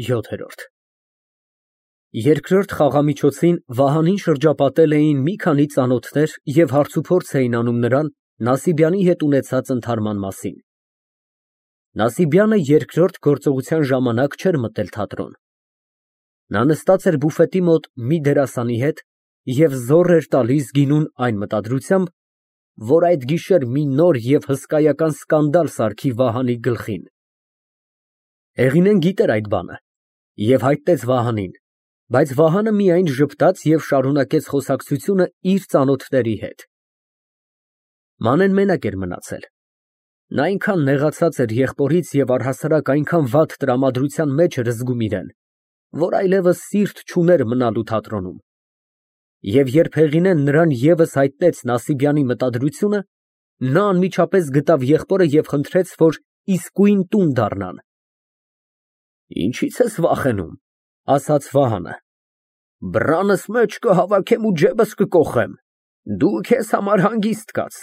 ՅՈԹԵՐՈՐԴ Երկրորդ խաղամիջոցին Վահանին շրջապատել էին մի քանի ծանոթներ և հարցուփորձ էին անում նրան Նասիբյանի հետ ունեցած ընդհարման մասին։ Նասիբյանը երկրորդ գործողության ժամանակ չէր մտել թատրոն։ Նա նստած էր բուֆետի մոտ մի դերասանի հետ և զոռ էր տալիս գինուն այն մտադրությամբ, որ այդ գիշեր մի նոր և հսկայական սկանդալ սարքի Վահանի գլխին։ Հեղինեն գիտեր այդ բանը և հայտնեց Վահանին, բայց Վահանը միայն ժպտաց և շարունակեց խոսակցությունը իր ծանոթների հետ։ Մանեն մենակ էր մնացել։ Նա այնքան նեղացած էր եղբորից և առհասարակ այնքան վատ տրամադրության մեջ էր զգում իրեն, որ այլևս սիրտ չուներ մնալու թատրոնում։ Եվ երբ Հեղինեն նրան ևս հայտնեց Նասիբյանի մտադրությունը, նա անմիջապես գտավ եղբորը և խնդրեց, որ իսկույն տուն դառնան։ «Ինչի՞ց ես վախենում, ֊ ասաց Վահանը, ֊ բռանս մեջ կհավաքեմ ու ջեբս կկոխեմ, դու քեզ համար հանգիստ կաց»։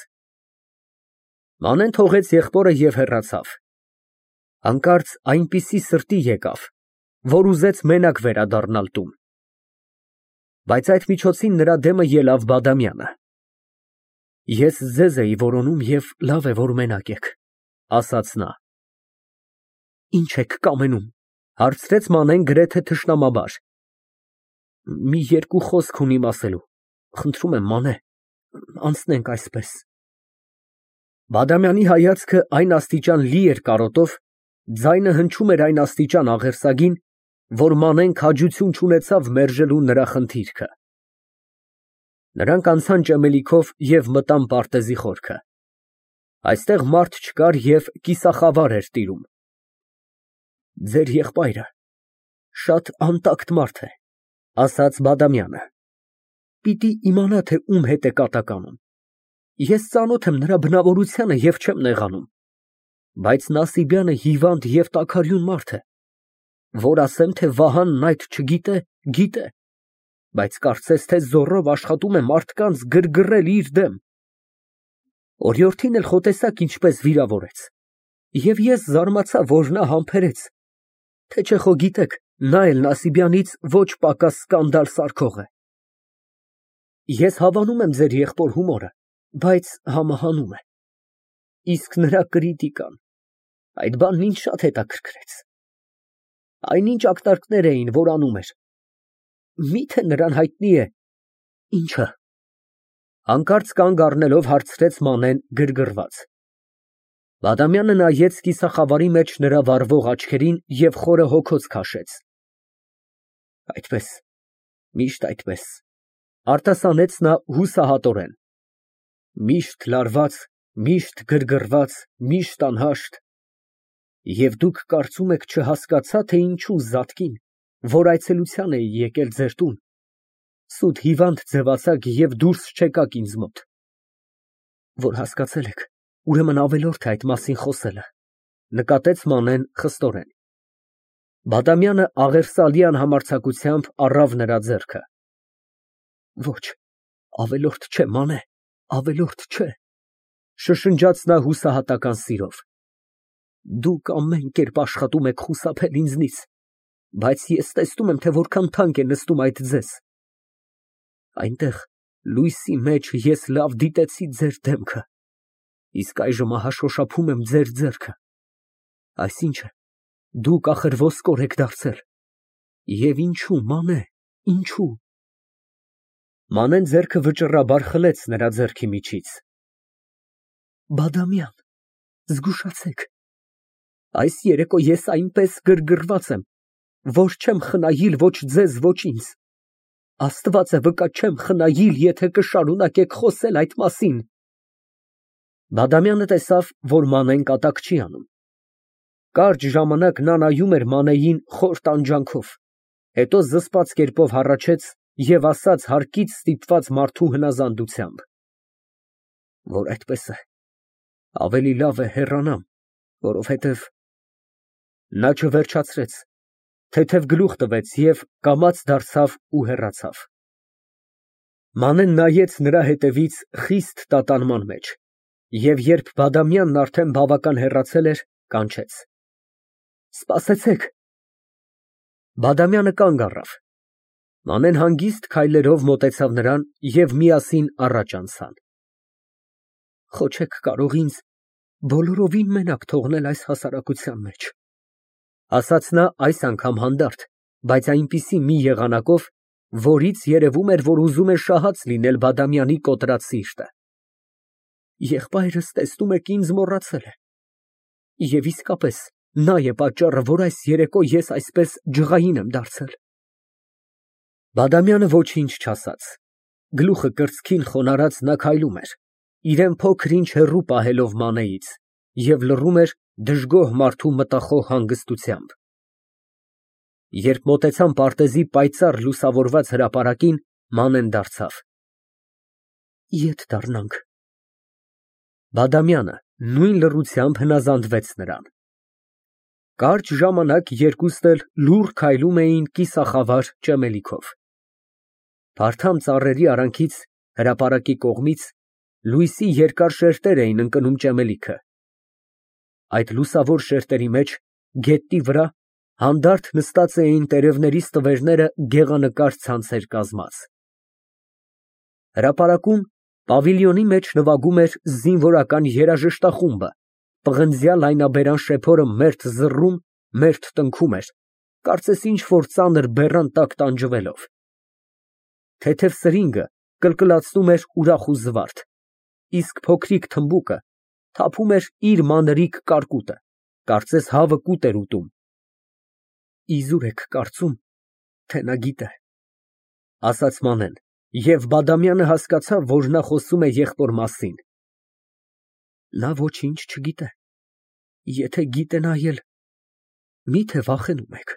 Մանեն թողեց եղբորը և հեռացավ։ Հանկարծ այնպիսի սրտի եկավ, որ ուզեց մենակ վերադառնալ տուն։ Բայց այդ միջոցին նրա դեմը ելավ Բադամյանը։ «Ես ձեզ էի որոնում և լավ է, որ մենակ եք», ֊ ասաց նա։ «Ի՞նչ եք կամենում, ֊ հարցրեց Մանեն գրեթե թշնամաբար։ ֊ Մի երկու խոսք ունիմ ասելու, խնդրում եմ, Մանե, անցնենք այսպես։ Բադամյանի հայացքը այն աստիճան լի էր կարոտով, ձայնը հնչում էր այն աստիճան աղերսագին, որ Մանեն քաջություն չունեցավ մերժելու նրա խնդիրքը։ Նրանք անցան ճեմելիքով և մտան պարտեզի խորքը։ Այստեղ մարդ չկար և կիսախավար էր տիրում։ Ձեր եղբայրը շատ անտակտ մարդ է, ֊ ասաց Բադամյանը։ Պիտի իմանա, թե ում հետ է կատականում։ Ես ծանոթ եմ նրա բնավորությանը և չեմ նեղանում, բայց Նասիբյանը հիվանդ և տաքարյուն մարդ է, որ ասեմ, թե Վահանն այդ չգիտե, գիտե, բայց կարծես թե զոռով աշխատում է մարդկանց գրգռել իր դեմ։ Օրիորդին էլ խո տեսաք ինչպես վիրավորեց, և ես զարմացա, որ նա համբերեց, թե չէ խո գիտեք, նա էլ Նասիբյանից ոչ պակաս սկանդալ սարքող է։ Ես հավանում եմ ձեր եղբոր հումորը, բայց համահանում է։ Իսկ նրա կրիտիկան, այդ բանն ինձ շատ հետաքրքրեց։ Այնինչ ակնարկներ էին, որ անում էր։ Մի՞թե նրան հայտնի է։ Ի՞նչը։ Հանկարծ կանգ առնելով հարցրեց Մանեն գրգռված։ Բադամյանը նայեց կիսախավարի մեջ նրա վառվող աչքերին և խորը հոգոց քաշեց։ Այդպես, միշտ այդպես, ֊ արտասանեց նա հուսահատորեն։ Միշտ լարված, միշտ գրգռված, միշտ անհաշտ։ Եվ դուք կարծում եք չհասկացա, թե ինչու Զատկին, որ այցելության էի եկել ձեր տուն, սուտ հիվանդ ձևացաք և դուրս չեկաք ինձ մոտ։ Որ հասկացել եք, ուրեմն ավելորդ է այդ մասին խոսելը, ֊ նկատեց Մանեն խստորեն։ Բադամյանը աղերսալի անհամարձակությամբ առավ նրա ձեռքը։ Ոչ, ավելորդ չէ, Մանե, ավելորդ չէ, ֊ շշնջաց նա հուսահատական սիրով։ Դուք ամեն կերպ աշխատում եք խուսափել ինձնից, բայց ես տեսնում եմ, թե որքան թանկ է նստում այդ ձեզ։ Այնտեղ լույսի մեջ ես լավ դիտեցի ձեր դեմքը, իսկ այժմ ահա շոշափում եմ ձեր ձեռքը։ Այսինչը, դուք ախր ոսկոր եք դարձել։ Եվ ինչո՞ւ, Մանե, ինչո՞ւ։ Մանեն ձեռքը վճռաբար խլեց նրա ձեռքի միջից։ Բադամյան, զգուշացեք, այս երեկո ես այնպես գրգռված եմ, որ չեմ խնայիլ ոչ ձեզ, ոչ ինձ։ Աստված է վկա, չեմ խնայիլ, եթե կշարունակեք խոսել այդ մասին։ Բադամյանը տեսավ, որ Մանեն կատակ չի անում։ Կարճ ժամանակ նա նայում էր Մանեին խոր տանջանքով, հետո զսպած կերպով հառաչեց և ասաց հարկից ստիպված մարդու հնազանդությամբ. Որ այդպես է, ավելի լավ է հեռանամ, որովհետև… Նա չվերջացրեց, թեթև գլուխ տվեց և կամաց դարձավ ու հեռացավ։ Մանեն նայեց նրա հետևից խիստ տատանման մեջ և երբ Բադամյանն արդեն բավական հեռացել էր, կանչեց. Սպասեցեք։ Բադամյանը կանգ առավ։ Մանեն հանգիստ քայլերով մոտեցավ նրան և միասին առաջ անցան։ Խո չեք կարող ինձ բոլորովին մենակ թողնել այս հասարակության մեջ, ասաց նա այս անգամ հանդարտ, բայց այնպիսի մի եղանակով, որից երևում էր, որ ուզում է շահած լինել Բադամյանի կոտրած սիրտը։ Եղբայրս, տեսնում եք, ինձ մոռացել է։ Եվ իսկապես նա է պատճառը, որ այս երեկո ես այսպես ջղային եմ դարձել։ Բադամյանը ոչինչ չասաց։ Գլուխը կրծքին խոնարհած նա քայլում էր, իրան փոքր-ինչ հեռու պահելով Մանեից, և լռում էր դժգոհ մարդու մտախոհ հանգստությամբ։ Երբ մոտեցան պարտեզի պայծառ լուսավորված հրապարակին, Մանեն դարձավ. Ետ դառնանք։ Բադամյանը նույն լռությամբ հնազանդվեց նրան։ Կարճ ժամանակ երկուստ էլ լուռ քայլում էին կիսախավար ճեմելիքով։ Փարթամ ծառերի արանքից, հրապարակի կողմից, լույսի երկար շերտեր էին ընկնում ճեմելիքը։ Այդ լուսավոր շերտերի մեջ, գետնի վրա, հանդարտ նստած էին տերևների ստվերները գեղանկարճ ցանցեր կազմած։ Հրապարակում, պավիլիոնի մեջ նվագում էր զինվորական երաժշտախումբը, պղնձյա լայնաբերան շեփորը մերթ զռում, մերթ տնքում էր, կարծես ինչ֊որ ծանր բեռան տակ տանջվելով։ Թեթև սրինգը կլկլացնում էր ուրախ ու զվարթ, իսկ փոքրիկ թմբուկը թափում էր իր մանրիկ կարկուտը, կարծես հավը կուտ էր ուտում։ Իզուր եք կարծում, թե նա գիտե, ասաց Մանեն, և Բադամյանը հասկացավ, որ նա խոսում է եղբոր մասին։ Նա ոչինչ չգիտե, եթե գիտենայել, մի՞թե վախենում եք։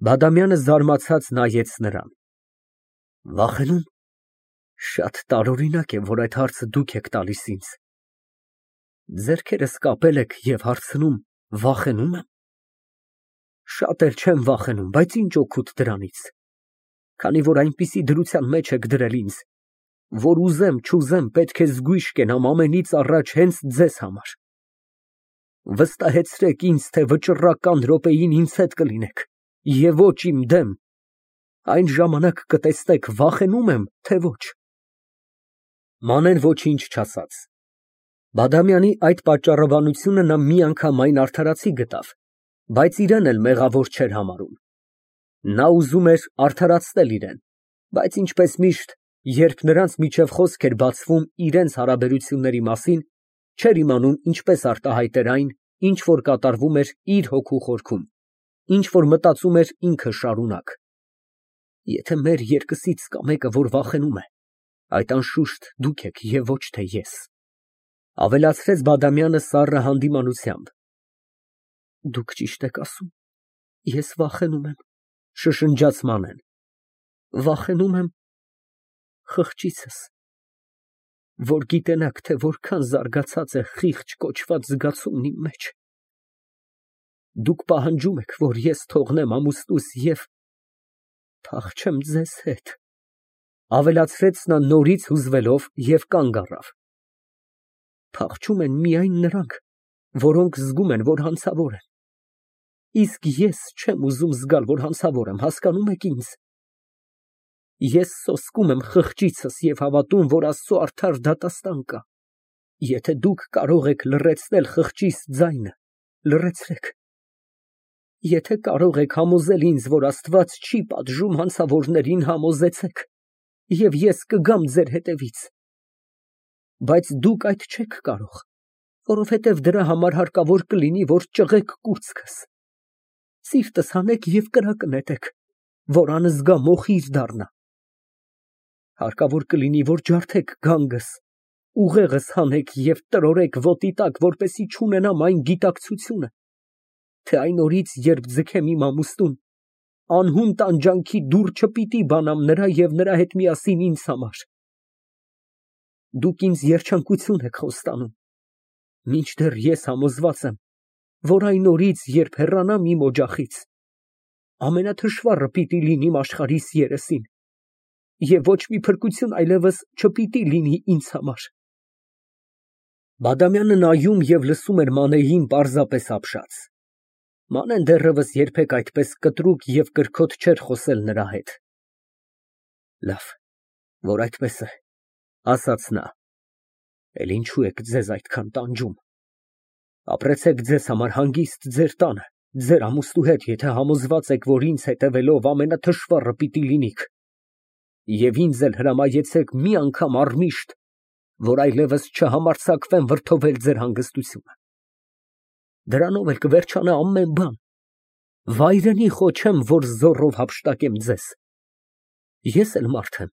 Բադամյանը զարմացած նայեց նրան։ Վախենու՞մ։ Շատ տարօրինակ է, որ այդ հարցը դուք եք տալիս ինձ։ Ձեռքերս կապել եք և հարցնում վախենո՞ւմ եմ։ Շատ էլ չեմ վախենում, բայց ինչ օգուտ դրանից, քանի որ այնպիսի դրության մեջ եք դրել ինձ, որ ուզեմ չուզեմ պետք է զգույշ կենամ ամենից առաջ հենց ձեզ համար։ Վստահեցրեք ինձ, թե վճռական րոպեին ինձ հետ կլինեք, և ոչ իմ դեմ, այն ժամանակ կտեսնեք վախենո՞ւմ եմ, թե ոչ։ Մանեն ոչինչ չասաց։ Բադամյանի այդ պատճառաբանությունը նա միանգամայն արդարացի գտավ, բայց իրան էլ մեղավոր չէր համարում։ Նա ուզում էր արդարացնել իրան, բայց ինչպես միշտ, երբ նրանց միջև խոսք էր բացվում իրենց հարաբերությունների մասին, չէր իմանում ինչպես արտահայտեր այն, ինչ որ կատարվում էր իր հոգու խորքում, ինչ որ մտածում էր ինքը շարունակ։ Եթե մեր երկուսից կա մեկը, որ վախենում է, այդ անշուշտ դուք եք և ոչ թե ես, ավելացրեց Բադամյանը սառը հանդիմանությամբ։ Դուք ճիշտ եք ասում, ես վախենում եմ, շշնջաց Մանեն։ Վախենում եմ խղճիցս, որ գիտենաք, թե որքան զարգացած է խիղճ կոչված զգացումն իմ մեջ։ Դուք պահանջում եք, որ ես թողնեմ ամուսնուս և փախչեմ ձեզ հետ, ավելացրեց նա նորից հուզվելով և կանգ առավ։ Փախչում են միայն նրանք, որոնք զգում են, որ հանցավոր են։ Իսկ ես չեմ ուզում զգալ, որ հանցավոր եմ, հասկանում եք ինձ։ Ես սոսկում եմ խղճիցս և հավատում, որ Աստծու արդար դատաստան կա։ Եթե դուք կարող եք լռեցնել խղճիս ձայնը, լռեցրեք։ Եթե կարող եք համոզել ինձ, որ Աստված չի պատժում հանցավորներին, համոզեցեք, և ես կգամ ձեր հետևից։ Բայց դուք այդ չեք կարող, որովհետև դրա համար հարկավոր կլինի, որ ճղեք կուրծքս, սիրտս հանեք և կրակը նետեք, որ անզգա մոխիր դառնա։ Հարկավոր կլինի, որ ջարդեք գանգս, ուղեղս հանեք և տրորեք ոտի տակ, որպեսզի չունենամ այն գիտակցությունը, թե այն օրից, երբ ձգեմ իմ ամուսնուն, անհուն տանջանքի դուռ չպիտի բանամ նրա և նրա հետ միասին ինձ համար։ Դուք ինձ երջանկություն եք խոստանում, մինչդեռ ես համոզված եմ, որ այն օրից, երբ հեռանամ իմ օջախից, ամենաթշվառը պիտի լինիմ աշխարհիս երեսին, և ոչ մի փրկություն այլևս չպիտի լինի ինձ համար։ Բադամյանը նայում և լսում էր Մանեին պարզապես ապշած։ Մանեն դեռևս երբեք այդպես կտրուկ և կրքոտ չէր խոսել նրա հետ։ Լավ, որ այդպես է, ասաց նա, էլ ինչու եք ձեզ այդքան տանջում։ Ապրեցեք ձեզ համար հանգիստ ձեր տանը, ձեր ամուսնու հետ, եթե համոզված եք, որ ինձ հետևելով ամենաթշվառը պիտի լինիք, և ինձ էլ հրամայեցեք մի անգամ առմիշտ, որ այլևս չհամարձակվեմ վրդովել ձեր հանգստությունը։ Դրանով էլ կվերջանա ամեն բան։ Վայրենի խոչեմ, որ զոռով հափշտակեմ ձեզ։ Ես էլ մարդ եմ,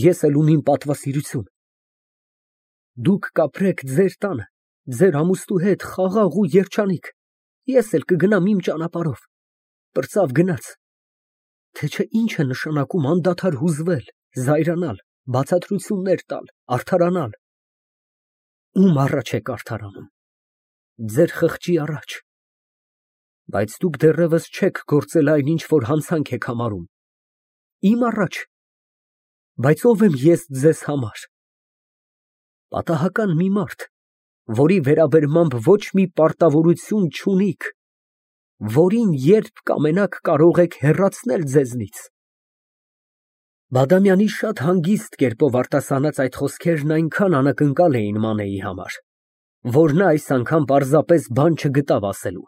ես էլ ունիմ պատվասիրություն։ Դուք կապրեք ձեր տանը, ձեր ամուսնու հետ խաղաղ ու երջանիկ, ես էլ կգնամ իմ ճանապարհով։ Պրծավ գնաց։ Թե չէ ինչ է նշանակում անդադար հուզվել, զայրանալ, բացատրություններ տալ, արդարանալ։ Ում առաջ եք արդարանում։ Ձեր խղճի առաջ։ Բայց դուք դեռևս չեք գործել այն, ինչ որ հանցանք եք համարում։ Իմ առաջ։ Բայց ով եմ ես ձեզ համար։ Պատահական մի մարդ, որի վերաբերմամբ ոչ մի պարտավորություն չունիք, որին երբ կամենաք կարող եք հեռացնել ձեզնից։ Բադամյանի շատ հանգիստ կերպով արտասանած այդ խոսքերն այնքան անակնկալ էին Մանեի համար, որ նա այս անգամ պարզապես բան չգտավ ասելու։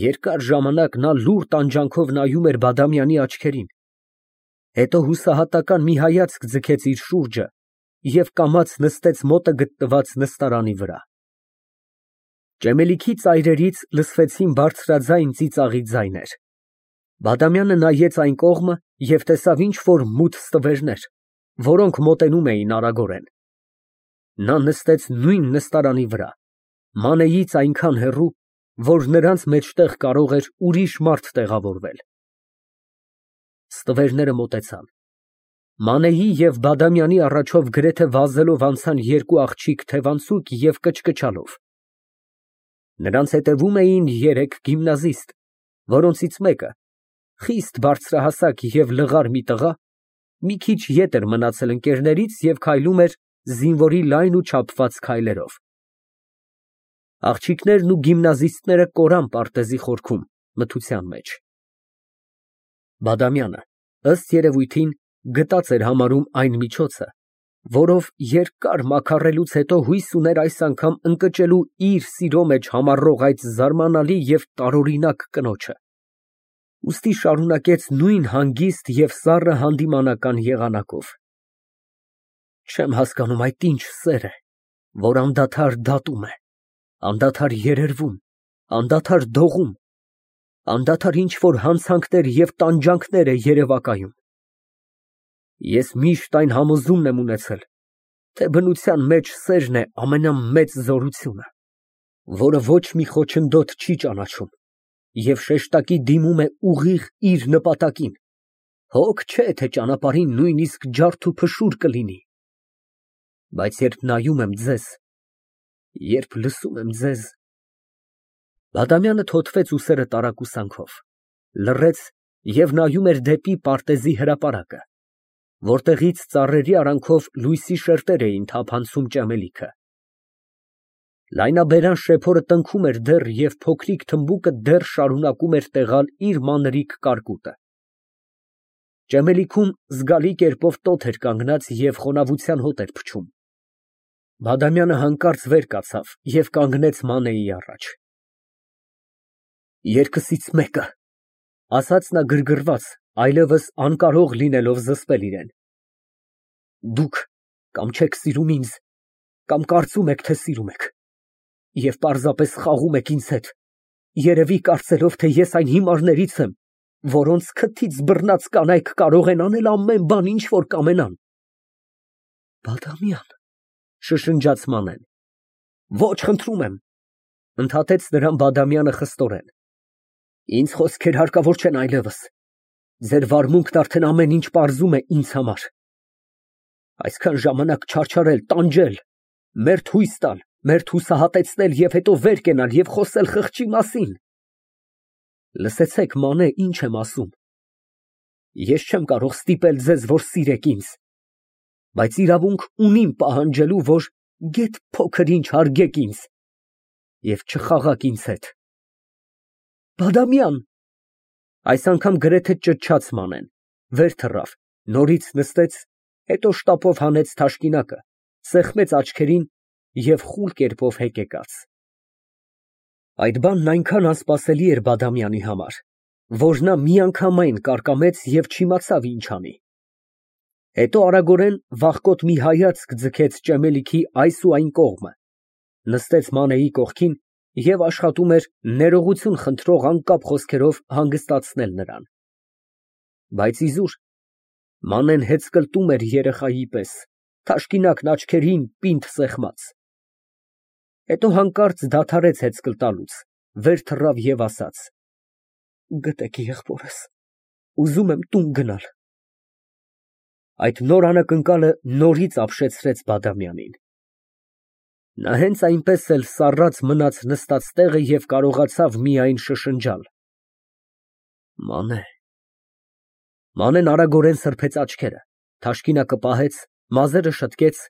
Երկար ժամանակ նա լուռ տանջանքով նայում էր Բադամյանի աչքերին, հետո հուսահատական մի հայացք ձգեց իր շուրջը և կամաց նստեց մոտը գտնված նստարանի վրա։ Ճեմելիքի ծայրերից լսվեցին բարձրաձայն ծիծաղի ձայներ։ Բադամյանը նայեց այն կողմը և տեսավ ինչ֊որ մութ ստվերներ, որոնք մոտենում էին արագորեն։ Նա նստեց նույն նստարանի վրա, Մանեից այնքան հեռու, որ նրանց մեջտեղ կարող էր ուրիշ մարդ տեղավորվել։ Ստվերները մոտեցան։ Մանեի և Բադամյանի առաջով գրեթե վազելով անցան երկու աղջիկ թևանցուկ և կչկչալով։ Նրանց հետևում էին երեք գիմնազիստ, որոնցից մեկը, խիստ բարձրահասակ և լղար մի տղա, մի քիչ ետ էր մնացել ընկերներից և քայլում էր զինվորի լայն ու չափված քայլերով։ Աղջիկներն ու գիմնազիստները կորան պարտեզի խորքում, մթության մեջ։ Բադամյանը, ըստ երևույթին, գտած էր համարում այն միջոցը, որով երկար մաքարելուց հետո հույս ուներ այս անգամ ընկճելու իր սիրո մեջ համառող այդ զարմանալի և տարօրինակ կնոջը։ Ուստի շարունակեց նույն հանգիստ և սառը հանդիմանական եղանակով. Չեմ հասկանում այդ ինչ սեր է, որ անդադար դատում է, անդադար երերվում, անդադար դողում, անդադար ինչ֊որ հանցանքներ և տանջանքներ է երևակայում։ Ես միշտ այն համոզումն եմ ունեցել, թե բնության մեջ սերն է ամենամեծ զորությունը, որը ոչ մի խոչընդոտ չի ճանաչում և շեշտակի դիմում է ուղիղ իր նպատակին, հոգ չէ, թե ճանապարհին նույնիսկ ջարդ ու փշուր կլինի։ Բայց երբ նայում եմ ձեզ, երբ լսում եմ ձեզ… Բադամյանը թոթվեց ուսերը տարակուսանքով, լռեց և նայում էր դեպի պարտեզի հրապարակը, որտեղից ծառերի արանքով լույսի շերտեր էին թափանցում ճեմելիքը։ Լայնաբերան շեփորը տնքում էր դեռ և փոքրիկ թմբուկը դեռ շարունակում էր տեղալ իր մանրիկ կարկուտը։ Ճեմելիքում զգալի կերպով տոթ էր կանգնած և խոնավության հոտ էր փչում։ Բադամյանը հանկարծ վեր կացավ և կանգնեց Մանեի առաջ։ Երկսից մեկը, ֊ ասաց նա գրգռված, այլևս անկարող լինելով զսպել իրան։ Դուք կամ չեք սիրում ինձ, կամ կարծում եք, թե սիրում եք, և պարզապես խաղում եք ինձ հետ, երևի կարծելով, թե ես այն հիմարներից եմ, որոնց քթից բռնած կանայք կարող են անել ամեն բան, ինչ որ կամենան։ Բադամյան, ֊ շշնջաց Մանեն։ Ոչ, խնդրում եմ, ֊ ընդհատեց նրան Բադամյանը խստորեն։ Ինձ խոսքեր հարկավոր չեն այլևս, ձեր վարմունքն արդեն ամեն ինչ պարզում է ինձ համար։ Այսքան ժամանակ չարչարել, տանջել, մերթ հույս տալ, մերթ հուսահատեցնել և հետո վեր կենալ և խոսել խղճի մասին։ Լսեցեք, Մանե, ինչ եմ ասում։ Ես չեմ կարող ստիպել ձեզ, որ սիրեք ինձ, բայց իրավունք ունիմ պահանջելու, որ գեթ փոքր ինչ հարգեք ինձ և չխաղաք ինձ հետ։ Բադամյան։ Այս անգամ գրեթե ճչաց Մանեն, վեր թռավ, նորից նստեց, հետո շտապով հանեց թաշկինակը, սեղմեց աչքերին և խուլ կերպով հեկեկաց։ Այդ բանն այնքան անսպասելի էր Բադամյանի համար, որ նա միանգամայն կարկամեց և չիմացավ ինչ անի։ Հետո արագորեն վախկոտ մի հայացք ձգեց ճեմելիքի այս ու այն կողմը, նստեց Մանեի կողքին և աշխատում էր ներողություն խնդրող անկապ խոսքերով հանգստացնել նրան։ Բայց իզուր Մանեն հեծկլտում էր երեխայի պես, թաշկինակն աչքերին պինդ սեղմած։ Հետո հանկարծ դադարեց հեծկլտալուց, վեր թռավ և ասաց. «Գտեք եղբորս, ուզում եմ տուն գնալ»։ Այդ նոր անակնկալը նորից ապշեցրեց Բադամյանին։ Նա հենց այնպես էլ սառած մնաց նստած տեղը և կարողացավ միայն շշնջալ. «Մանե»։ Մանեն արագորեն սրբեց աչքերը, թաշկինակը պահեց, մազերը շտկեց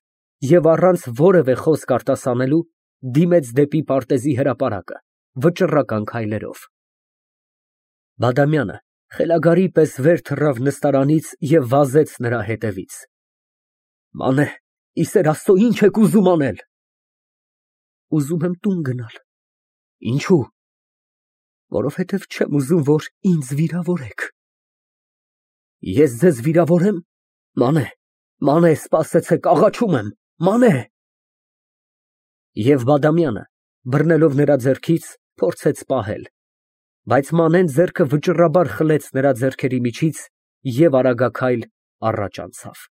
և առանց որևէ խոսք արտասանելու դիմեց դեպի պարտեզի հրապարակը, վճռական քայլերով։ Բադամյանը խելագարի պես վեր թռավ նստարանից և վազեց նրա հետևից։ «Մանե, ի սեր Աստծո, ի՞նչ եք ուզում անել»։ «Ուզում եմ տուն գնալ»։ «Ինչո՞ւ»։ «Որովհետև չեմ ուզում, որ ինձ վիրավորեք»։ «Ես ձեզ վիրավորե՞մ։ Մանե, Մանե, սպասեցեք, աղաչում եմ, Մանե»։ Եվ Բադամյանը, բռնելով նրա ձեռքից, փորձեց պահել, բայց Մանեն ձեռքը վճռաբար խլեց նրա ձեռքերի միջից և արագաքայլ առաջ անցավ։